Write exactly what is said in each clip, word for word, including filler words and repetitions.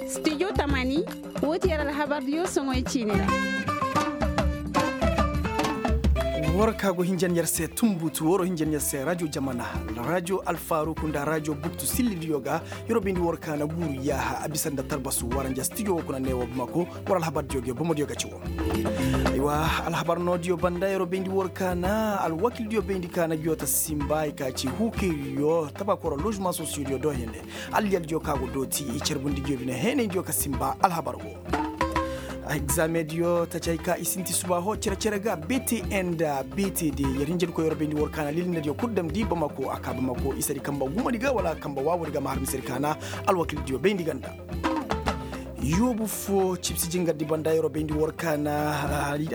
Studio tamani, woo ti yer alhabardiyo soŋoy ciini ra. War ka go hinjan yer se tumbutu waro hinjan yer se rajo jamana, rajo alfaruku nda rajo buktu sillidiyo ga. Yer wo bayndi war ka na guuru yaaha a bisa nda tarbasu waranja studio woo kuna neewo bamako. War alhabardiyo ga yo bomodiyo ga ci woo. Aywa, alhabar noodiyo banda yer wo bayndi war ka na alwakildiyo bayndi ka na giyo ta simba i ka ci huukayriyo tabakoro lozuma sosiyodiyo do hene. Alliyaldiyo ka go dooti i carbundi giyo bine heenaydiyo ka simba alhabar woo. Egzamediyo tacay ka i sinti suba ho cere-cere ga btn da btd. Yer hinjadi koy yer bayndi war ka na lilindadiyo kul damndi bamako a ka bamako isadi kamba gumadi ga wala kamba waawadi ga ma har misedi ka na alwakildiyo bayndi ganda. Yoobu fo cibsi jingardi banda yer bayndi war ka na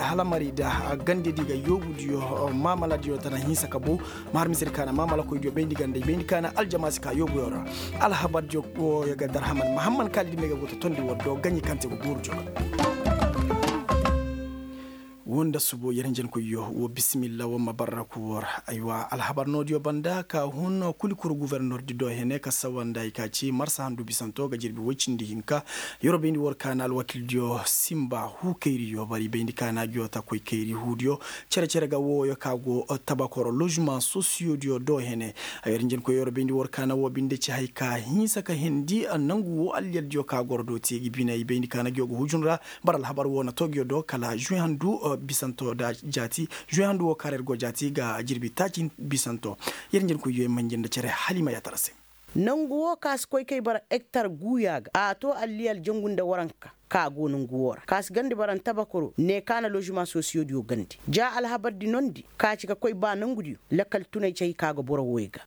halamari da gandedi ga yoobudiyo maamaladiyo tana hinsa ka bow. Maharmisedi ka na maamalakoydiyo bayndi ganda i bayndi ka na aljamaasi ka yoobuyo ra. Alhabardiyo woo ya ga darhaman mahamman kaalidi me ga go ta tondi war do gaɲi kaŋ te ga guuru joga. Woo nda subo yer hinjankoyyo woo bisimilla woo ma barraku woo ra. Aywa alhabar noodiyo banda ka hun kulikuru guvernordi do hene ka sawa nda i ka ci marsa handu bisanto ga jirbi woy cindi hinka. Yer wo bayndi war ka na alwakildiyo simba huu kayriyo bari bayndi ka na giyo ta koy kayri huudiyo. Cere-cere ga wooyo ka go tabakoro lozuma sosiyodiyo do hene. Ay yer njenkoy yer bayndi war ka na woo binde ci hay ka hinsa ka hindi nangu woo alliyaldiyo ka goro do te ga bine i bayndi ka na giyo ga hujun ra. Bara alhabar woo na too giyo do kala žuwe handu bisanto da jaati žuwe handu woo ka ra yer go jaati ga jirbi taaci bisanto. Yer njenkoy yo i manjin nda cere hala i ma yaatara se. Nangu woo ka si koy kay bara ektar guuya ga a too alliyal jangu nda waranka ka go nangu woo ra ka si gandi bara ntabakoro ne ka na lozuma sosiyodiyo gandi ja alhabardi nondi ka ci ka koy ba nangudiyo. Lakal tunay ci hay ka ga boro wooyo ga.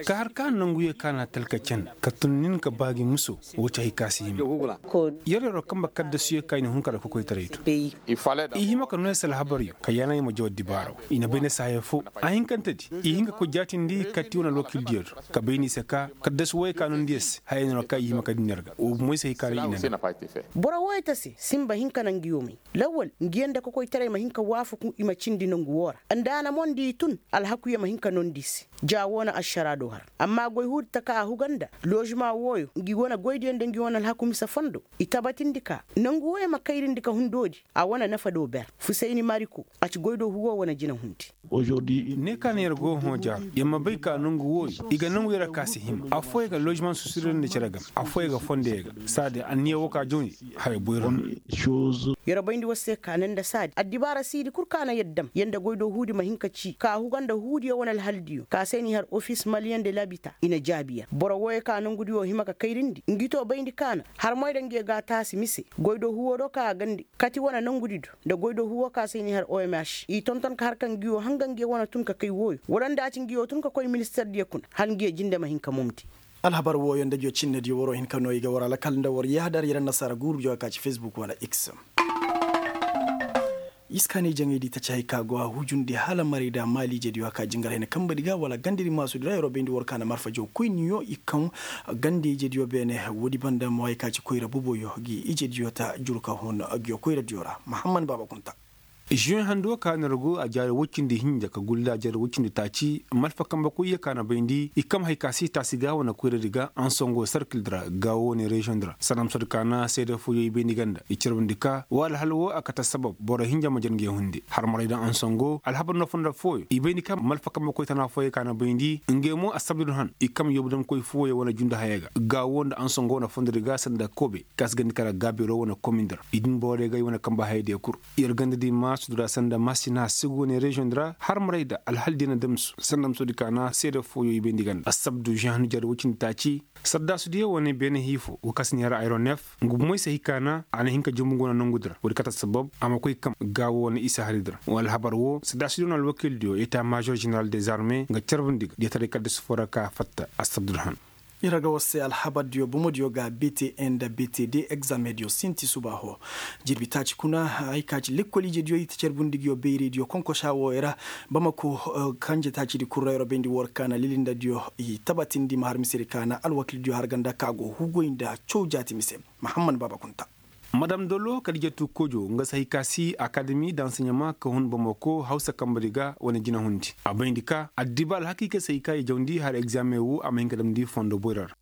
Ka har ka nanguyo ka na talka can ka tun nin ka ba gi muso. Woo ci hay ka si hima. Yer yer wo kamba kaddasuyo ka i na hun ka da kokoytaray to. I hima ka noy se alhabaryo ka yaana i ma jaw dibaaro. I na bay ni se haya foo a hinkantedi i hin ka koy jaatindi katti wane alwakildiyo do. Ka bay ni se ka kaddasu wooyo ka nondi yer se haya no ra ka i hima ka din yer ga woo bumo i se hay ka ra i na. Boro wooyo ta se sinba hinka na ngi yoomey lawwal ngi yaŋ nda kokoytaray ma hin ka waafaku i ma cindi nangu woo ra. Nda a na mo nda i tun alhakuyo ma hin ka nondi i se. Ja woo na ašaraa do har amma goy huudi taka a huga nda lozuma wooyo ngi wane goydiyo nda ngi wane alhaku mise fondo. I tabatindi ka nangu wooyo ma kayrindi ka hundoodi. A wane nafa do ber fusayni mariko a ci goydoo huwo wane jinahundi. Ne ka na yer go hõ ja yer ma bay ka nangu wooyo i ga nangu yer a ka si hima affooyaŋ ga lozimaŋ susirandi nda cere game affooyaŋ ga fondo yer ga. Saadi anniya woo ka jawni haya boyro no. Yer bayndi war se ka ne nda saadi addibaara siidi kul ka na yer dam yer nda goydoo huudi ma hin ka ci ka huga nda huudiyo wane alhaldiyo ka se n'i har ofis maliyeŋ de labita i na jaabi yer boro wooyo ka nangudiyo hima ka kayrindi ngi too bayndi ka na har moy da ngi ga taasi mise goydoo huwo do ka a gandi kati wane nangudi do nda goydoo huwo ka se n'i har omh i tonton ka har ka ngiyo hanga ngiyo wane tun ka kay wooyo wala nda a ci ngiyo tun ka koy ministardiyo kuna hala ngiyo jinde ma hin ka momdi. Alhabar wooyo nda ngiyo cinnediyo waroo hin ka noo i ga war alakal nda war yahadar yer annasaara guurudiyo ka ci fesbuk wala x. Iskaanay jaŋaydi taci hay ka go a hujundi hala maray nda maaliijediyo a ka jingar hene kambedi ga wala gandedi maasudi ra yeroo bayndi war ka na marfa jaw koyniyo i kaŋ ganda ijediyo beene. Woodi banda mo hay ka ci koyra boboyo gi ijediyo ta juru ka hun. Giyo koyradiyo ra mahamman baaba kunta. Žuweŋ hando ka na ragu a jaari woy cindi hinja ka gulli a jaari woy cindi taaci malfa kambe koyyo ka na bayndi i kam hay ka si taasi ga wane koyradi ga ansongo sarkildi ra gaawo wane reziyoŋdi ra sanda ma soodi ka na seede fooyo i bayndi ganda i carbandi ka wa alhal wo a kate sabab boro hinja ma jar nge hunde har maray da ansongo alhabar no fonda fooyo i bayndi ka malfa kambe koy tana fooyo ka na bayndi nge mo assabdun han i kam yoobu damkoy fooyo wane jundu haya ga gaawo nda ansongo wane fondodi ga sanda kobe ka si gandi kala gaabiro wane komindi ra i din borey ga i wane kambe hayadiyo kul. Yer ganda di maasudi ra sanda masina sigu wane reziyoŋ di ra har maray da alhal di na damsu sanda ma soodi ka na seede fooyo i bayndi ganda assabdu žen hannu jari woy cindi taaci. Sardaasudiyo wane beene hiifo go ka si ni har ayronef nga bumoy se hikaana a na hin ka jumbu go na nongudi ra woodi kate sabab a ma koy kam gaawo wane isa haridi ra wa alhabar wo sardaasudiyo wane alwakildiyo eta maazor ženeral dezarme nga carbandi ga diyataray kaddasu foo ra ka fatta assabdu ra han. Ira ga war se alhabardiyo bomodiyo ga btn nda btd egzamediyo sinti subaaho. Jirbi taaci kuna hay ka ci lekkol ijediyo i ta carbundi nguyo bayraydiyo konkosa wooyo ra. Bamako kanje taacidi kul ra yer bayndi war ka na lilindadiyo i tabatindi ma har misedi ka na alwakildiyo har ganda ka go hugoy nda caw jaati mise. Mahamman baaba kunta. Madam dolo kadijatu kojo nga se hay ka si akademi da anseɲama ka hun bamako hawsa kambari ga wane jinahundi a bayndi ka addiba alhakiika se hay ka i jawndi har egzaameŋ wo a ma hin ka damndi fondo boyra ra.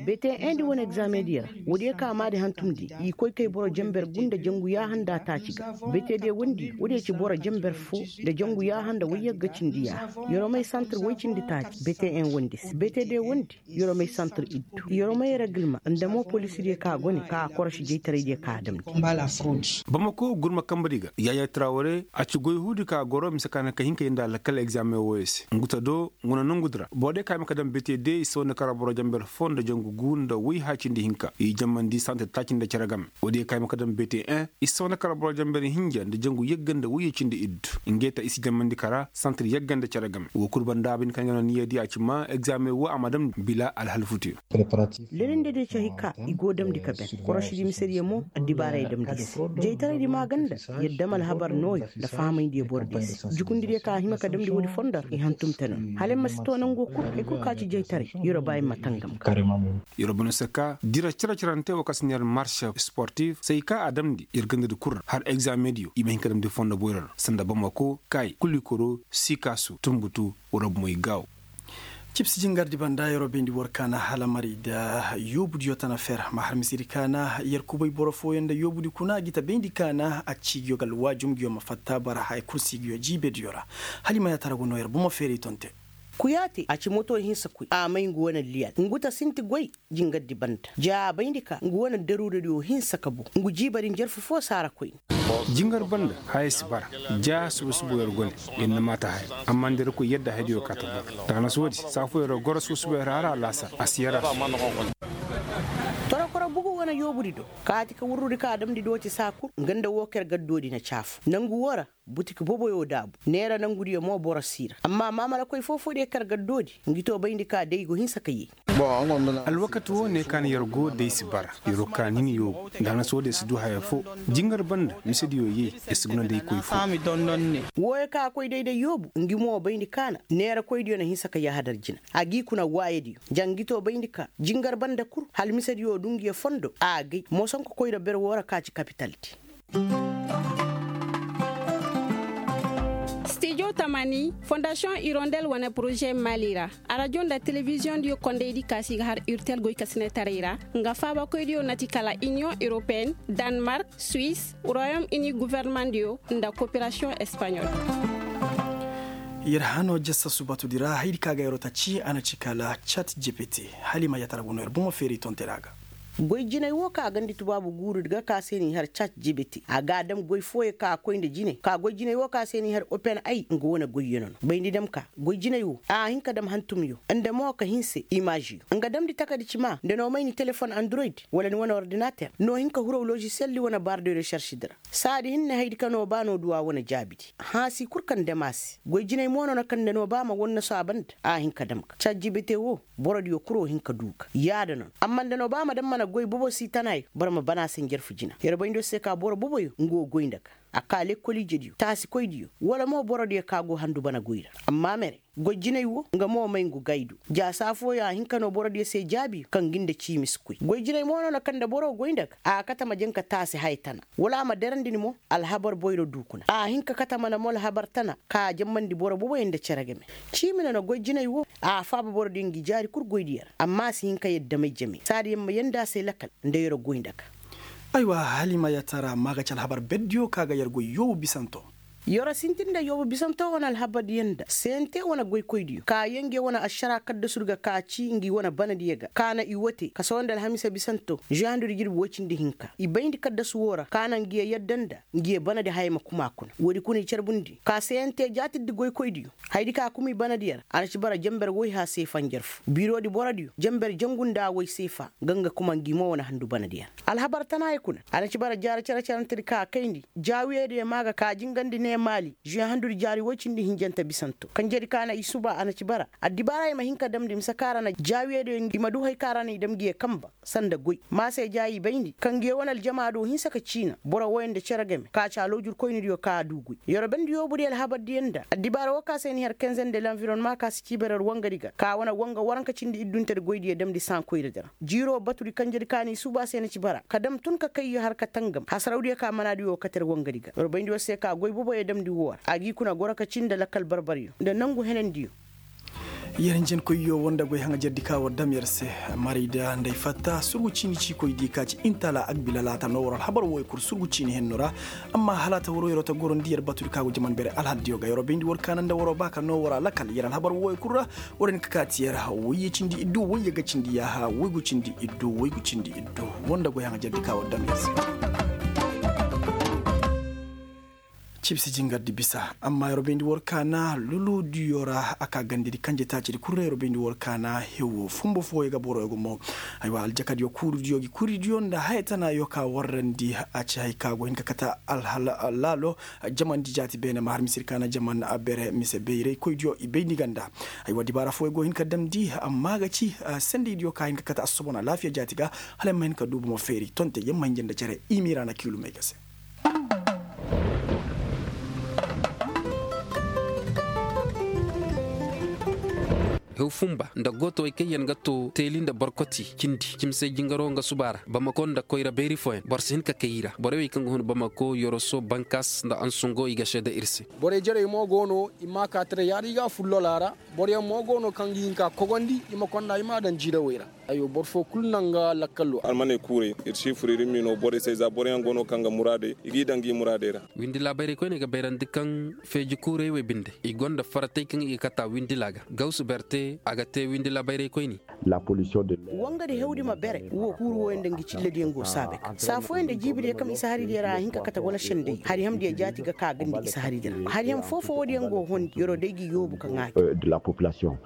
Bete endi wane egzaameŋ diya ra. Woodiyo ka maadi hantumndi i koy kay boro jenber gu nda jangu yaaha nda taaci ga. Bete de wondi woodiyo ci boro jenber fo nda jangu yaaha nda woyyagga cindi yaaha. Yeromey santir woy cindi taaci bete en wondi se bete de wondi yeromey santir iddu yeromey regilma nda mo polisiriyo ka go ne ka korosi jaytaraydiyo ka damndi. Bamako gurma kambari ga yaya traware a ci goy huudi ka goro mise ka na ka hin ka yee nda lakkal egzaameŋ wooyo se ngu ta do ngu na nongudi ra boro diyo ka hima ka daŋ bete de i si wane kara boro jamber fo nda jangu gu nda woy haya cindi hinka i jammandi santir taaci nda cere game. Woodiyo ka hima ka daŋ bete en i si wane kara boro jamber hinja nda jangu yagga nda woyyo cindi iddu. Ngey ta i si jammandi kara santir yagga nda cere game wo kul banda a bay ni kaŋ ga no niyyadiyo a ci ma egzaameŋ woo a ma daŋ bila alhalfutiyo. Lelinde de cahi ka i go damndi ka ben korosidi misediyo mo addibaarey damndi i se. Jaytaraydi maaganda yer dam alhabar nooyo nda fahamayndi yer borodiyo se. Jukundidiyo ka hima ka damndi woodi fondo ra i hantum te no hala yer ma si to nango kul hay kul ka ci jaytaray yer ba yer ma tangam ga. Yer ba no se ka dira cere-cerante wo ka si ne yer marse sportif se hay ka a damndi yer gandadi kul ra har egzaameŋdiyo i ma hin ka damndi fondo boyro ra sanda bamako kaayi kulikoro sikaasu tunbutu. Warabu moy gaawo. Cibsi jingardi banda yeroo bayndi boro ka na halamari nda yoobudiyo tana fer ma har misedi ka na yer kubay boro fooyaŋ nda yoobudi kuna gi ta bayndi ka na a ci ngiyo ga alwaajum ngiyo ma fatta bara haya kul si ngiyo jiibediyo ra. Hala i ma yaatara go no yer bomo feeray tonte. Kuyaate a ci moto hinsa koy a may ngu wane liyal ngu ta sinti goy. Jingardi banda ja a bayndi ka ngu wane daruuradiyo hinsa ka bu ngu jiibadi njarfu foo saara koyne. Jingar banda haya si bara ja suba suba yer go ne. Yer na maata haya amma nda yer koy yadda hayadiyo ka ta bara daga na soodi saa foo yer goro suba suba yer hara alaasar a si yer a. Torokoro bugu wane yoobudi do kaati ka wurrudi ka a damndi dooti saa kul nga nda woo ka yer gaddoodi na caafu nangu woo ra. Butik boboyo daabu neera nangudiyo mo boro si ra amma maamalakoy foo-foodiyo kar gaddoodi ngi too bayndi ka day go hinsa ka yee. Alwakati woo ne ka na yer go day si bara yeroo ka nin yoobu nda hana soodiyo si duu haya foo. Jingar banda misediyo yee yer si guna day koy foo. Wooyo ka a koy day nda yoobu ngi mo bayndi ka na neerakoydiyo na hinsa ka yahadar jina a g'i kuna waayadiyo ja ngi too bayndi ka jingar banda kul hala misediyo duu ngiyo fondo a agay moosonko koyra ber woo ra ka ci kapitaldi. Stijo tamani fondasiyoŋ irondel wane poroze mali ra arajo nda telebiziyoŋdiyo kondaydi ka si ga har urtel goykasinetaray ra nga faabakoydiyo na ti kala iniyoŋ europeen, danmark, suwis, royom ini gofornemandiyo nda koperasiyoŋ espaɲol. Yer hano jassa subatudi ra hayadi ka ga yeroo ta ci a na ci kala chat jpt. Hala i ma yatara go no yer bomo feeri tonte ra ga. Goy jinay woo ka gandi tubaabu guurudi ga ka se n'i har chat jpt a ga a dam goy fooyo ka koy nda jine ka goy jinay woo ka se n'i har open ay nga wane goyyo no no bayndi dam ka goy jinay woo a hin ka dam hantumyo nda mo ka hinse imaziyo nga damndi takadi cima nda no may ni telefon android wala ni wane ordinater no hin ka huraw loziseldi wane baar de resaršidi ra. Saadi hinne haydi ka no ba no duw'a wane jaabidi hãasi kul kaŋ dam a se goy jinay mo no na kaŋ nda no ba ma wannasu a banda a hin ka dam ga chat jpt woo. Borodiyo kuro hin ka duu ga yaada no no amma nda no ba ma daŋ mana goy bobo si tana yo boro ma ban a se njarfu jina yer bay nda se ka boro boboyo nga wo goy nda ga a ka lekkol ijediyo taasikoydiyo wala mo borodiyo ka go handu bana goy ra. Amma mere goy jinay wo nga mo may ngu gay do ja saa fooyaŋ a hin ka no borodiyo se jaabiyo kaŋ gi nda ciimi si koy goy jinay mo no na kaŋ nda boro goy nda ga a kate ma jaŋ ka taasi haya tana wala a ma derandi ni mo. Alhabar boyro duu kuna a hin ka kate mana mo alhabar tana ka a jammandi boro boboyaŋ nda cere game. Ciimi no na goy jinay wo a faaba borodiyo ngi jaari kul goydiyo ra amma a si hin ka yadda may jame saadi yer ma yanda a se lakal nda yeroo goy nda ga. Aywa hala i ma yatara ma ga ci alhabar berdiyo ka ga yer goy yoobu bisanto. Yeroo sintin nda yoobu bisanto wane alhabardiyo nda sente wane goykoydiyo ka yee nge wane ašara kaddasudi ga ka ci ngi wane banadiyo ga ka na i wote ka sohõ nda alhamiisa bisanto žuwaŋ handudi jirbi woy cindi hinka i bayndi kaddasu woo ra ka na ngiyo yadda nda ngiyo banadi haya ma kuma kuna woodi kuna i carbundi ka sente jaatirdi goykoydiyo. Hayadi ka kuma i banadiyo ra a na ci bara jenber woyha seefa njarfu biirodi borodiyo jenber jangu nda woy seefa nga nga kuma ngi mo wane handu banadiyo ra. Alhabar tanaayo kuna a na ci bara jaara cere-cerentedi ka kayndi jaawiyediyo maa ga ka jingandi ne. Maali zuwe handudi jaari woy cindi hinjante bisanto kanjedi ka na i suba a na ci bara addibaara i ma hin ka damndi mise ka ra na jaawiyediyo i ma du hay ka ra na i dam ngi ye kanba sanda goy maase ja i bayndi kaŋ ngi ye wane aljama do hinsa ka ciina boro woy nda cere game ka ci aloojur koynidiyo ka a du goy yorobendi yoobudiyo alhabardiyo nda addibaara woo ka se ni har kenze nda lanvironma ka si ciiba yer wangadi ga ka wane wanga waranka cindi idduntedi goydiyo damndi saaŋ koyradi ra jiiroo batudi kanjedi ka n'i suuba se na ci bara ka dam tun ka kayyo har ka tangam hasarawdiyo ka manaadiyo kate yer wangadi ga yer bayndi yer se ka goy boboyo damndi woo ra a g'i kuna goro ka cii nda lakkal barbaryo nda nangu henandiyo. Yer njenkoyyo woo nda goy haŋajerdi ka war dam yer se marayda nda ay fatta surgu ciini ciikoy di ka ci intala agbilalaata noo war alhabar wooyo kul surgu ciini henno ra. Amma halaata waroo yeroo ta gorondi yer batudi ka go jaman bere alhaldiyo ga yeroo bayndi war kaana nda waroo ba ka noo war a lakal yer alhabar wooyo kul ra. War hin ka kaati yer woyye cindi iddu woyye ga cindi yaaha woygu cindi iddu woygu cindi iddu. Woo nda goy haŋajerdi ka war dam yer se. Cibsi jingardi bisa amma yeroo bayndi war kaana luludiyo ra a ka gandedi kanje taacidi kul ra yeroo bayndi war kaana hewo fumbo fooyo ga boroyo gumo. Aywa aljakadiyo kuurudiyo gi kuridiyo nda haya tanaayo ka warrandi a ci hay ka go hin ka kate alhal laalo. Jamandi jaati beene ma har misir kaana jaman bere mise bayraykoydiyo i bayndi ganda. Aywa dibaara fooyo go hin ka damndi amma ga ci sendaydiyo ka hin ka kate assobon alaafiya jaati ga. Hala ay ma hin ka du bomo feeri tonte yamma hinja nda cere i miira na kiilumey ga se. Hew fumba nda gootowey kaŋ yaŋ ga to teeli nda borkoti cindi cimsey jingaroo nga suba ra bamako nda koyra bayri fooyaŋ boro si hin ka kay i ra borey wey kaŋ ga hun bamako yoroso bankas nda ansungo i ga seeda ir se. Borey jarey mo go no i ma ka tara yaada i ga a fullola ra. Boroyaŋ mo go no kaŋ ga hin ka kogondi i ma konda i m'a daŋ jiirawey ra. Aywa boro foo kul na nga lakkalo. Almaney kuurey ir si fur ir m'i no borey se za boroyaŋ go no kaŋ ga muraadey i g'i daŋ gi muraadey ra. Windi laabayrey koyney ga bayrandi kaŋ feeji kuurey wey binde i gonda faratey kaŋ i ga kata windila ga gawsu berte a ga te windi laabayrey koyney. Wangadi hewdi ma bere wo kuuru wooyaŋ nda ngi cillediyaŋ go saabay ga saa fooyaŋ nda jiibidiyo kaŋ isa haridiyo ra a hin ka kate wala sendey hari hamdiyo jaati ga ka gandi isa haridiyo ra hari ham foo-foo woodiyaŋ go hondi yeroo day gi yoobu ka ŋaaji.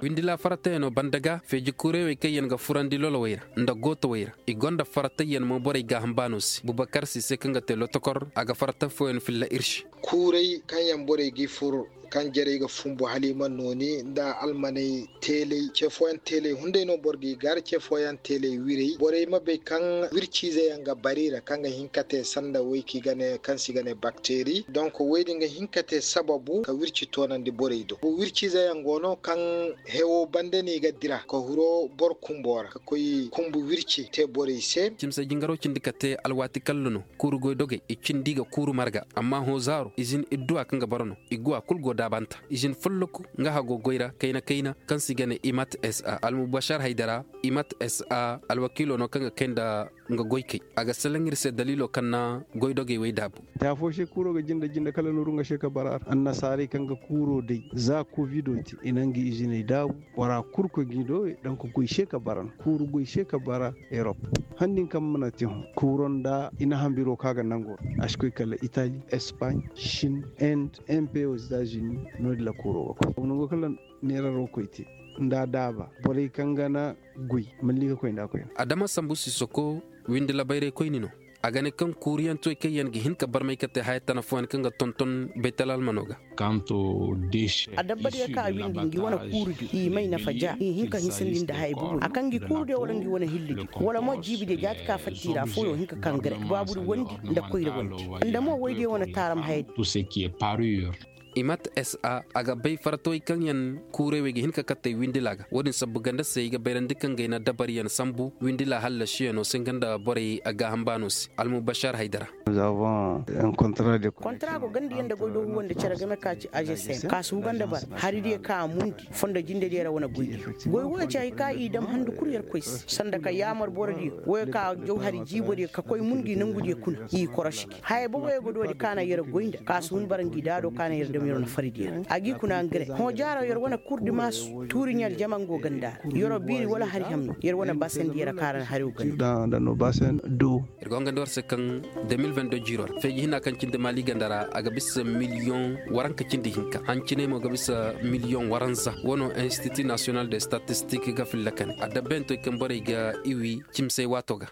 Windi laa faratayano banda ga feeji kuuray wey kaŋ yaŋ ga furandi lolowey ra nda gootowey ra i gonda faratayyan mo borey gaaham baano se bubakar si se kaŋ ga te lotokor a ga farata fooyaŋ filla ir se. Kuuray kaŋ yaŋ borey g'i fur kaŋ jarey ga fumbu hala i mana nooni nda almaney teelay ce fooyaŋ teelay hunday no boro g'i gar ce fooyaŋ teelay wirey borey ma bay kaŋ wirciize yaŋ ga bari ra kaŋ ga hin ka te sanda woy kaŋ si ga ne bakteri donk woy din ga hin ka te sababu ka wirci toonandi borey do wirciize yaŋ go no kaŋ hewo banda no i ga dira ka huro boro kumbo ra ka koy kumbu wirci te borey se. Cimse jingaro cindi ka te alwaati kalla no kuuru goydogey i cindi ga kuuru marga amma hõ zaaro izin idduwa kaŋ ga bara no igguwa kul go daabanta izin folloku nga hago goy ra kayna kayna kaŋ se i ga ne imat sa almubashar haydara imat sa alwakiilo no kaŋ ga kay nda nga goykey a ga salaŋ ir se daliilo kaŋ na goydogey wey daabu. Te afo se kuuro ga jinde jinde kala nooru nga se ka bara a ra annasaarey kaŋ ga kuuro day za kovido te i na nga iziney daabu bora kul koy ga i do donk goy se ka bara no kuuru goy se ka bara erop. Handin kaŋ mana te hõ kuuro nda i na hambiro kaŋ a ga nango a si koy kala itali espaaɲ, shin, inde, mpo etazini. No- din ra kuuro ga koy nango kala neeraro koy te nda a daaba borey kaŋ ga na goy malli ga koy nda a koy. Adama sambu sisoko windi labayray koyni no. A ga ne kaŋ kuuriyaŋ toy kaŋ yaŋ ga hin ka barmay ka te haya tana fooyaŋ kaŋ ga tonton baytal almano ga. Adabbadiyo kaŋ a windi ngi wane kuurudi i may nafa ja i hin ka hinsandi nda haya bubu a kaŋ ngi kuurudiyo wala ngi wane hillidi wala mo jiibidiyo jaati ka fatta i ra fooyo hin ka kaŋ gare baabudi wandi nda koyra wandi nda mo woydiyo wane taaram hayadi. Imat sa a ga bay faratawey kaŋ yaŋ kuuray wey ga hin ka kattey windila ga wo-din sabbu ganda se i ga bayrandi kaŋ ga ay na dabariyaŋ sambu windila hallasiyaŋo se nga nda borey a gaaham baano se almubashar haydara. Kontara go ganda yaŋ nda goy do huwandi cere game ka ci agsm ka si huga nda bara haridiyo kaŋ a mundi fondo jindediyo ra wane goydiyo goy wooyo ci hari kaŋ i dam handu kul yer koy se sanda ka yaamar borodiyo wooyo kaŋ a jaw hari jiibodiyo ka koy mun ngi nangudiyo kuna i korosi. Haya boboyo ga doodi kaana yer goy nda ka si hun bara ngi daado kaana yer dam yer wane faridiyo ra a g'i kuna ngare hõ jaaro yer wane kurdi maasu tuuri ɲaljama ngo ganda ra yeroo biiri wala hari hamni yer wane baasandi yer kaara na hari wo ganda. Ir go nga nda war se kaŋ de mil vendo jiiro ra feeji hina kaŋ cindi maali ganda ra a ga bisa miliyoŋ waranka cindi hinka hanciney mo ga bisa miliyoŋ waranza wano institut national de statistik ga filla kane a dabbayantoy kaŋ borey ga iwi cimsey waato ga.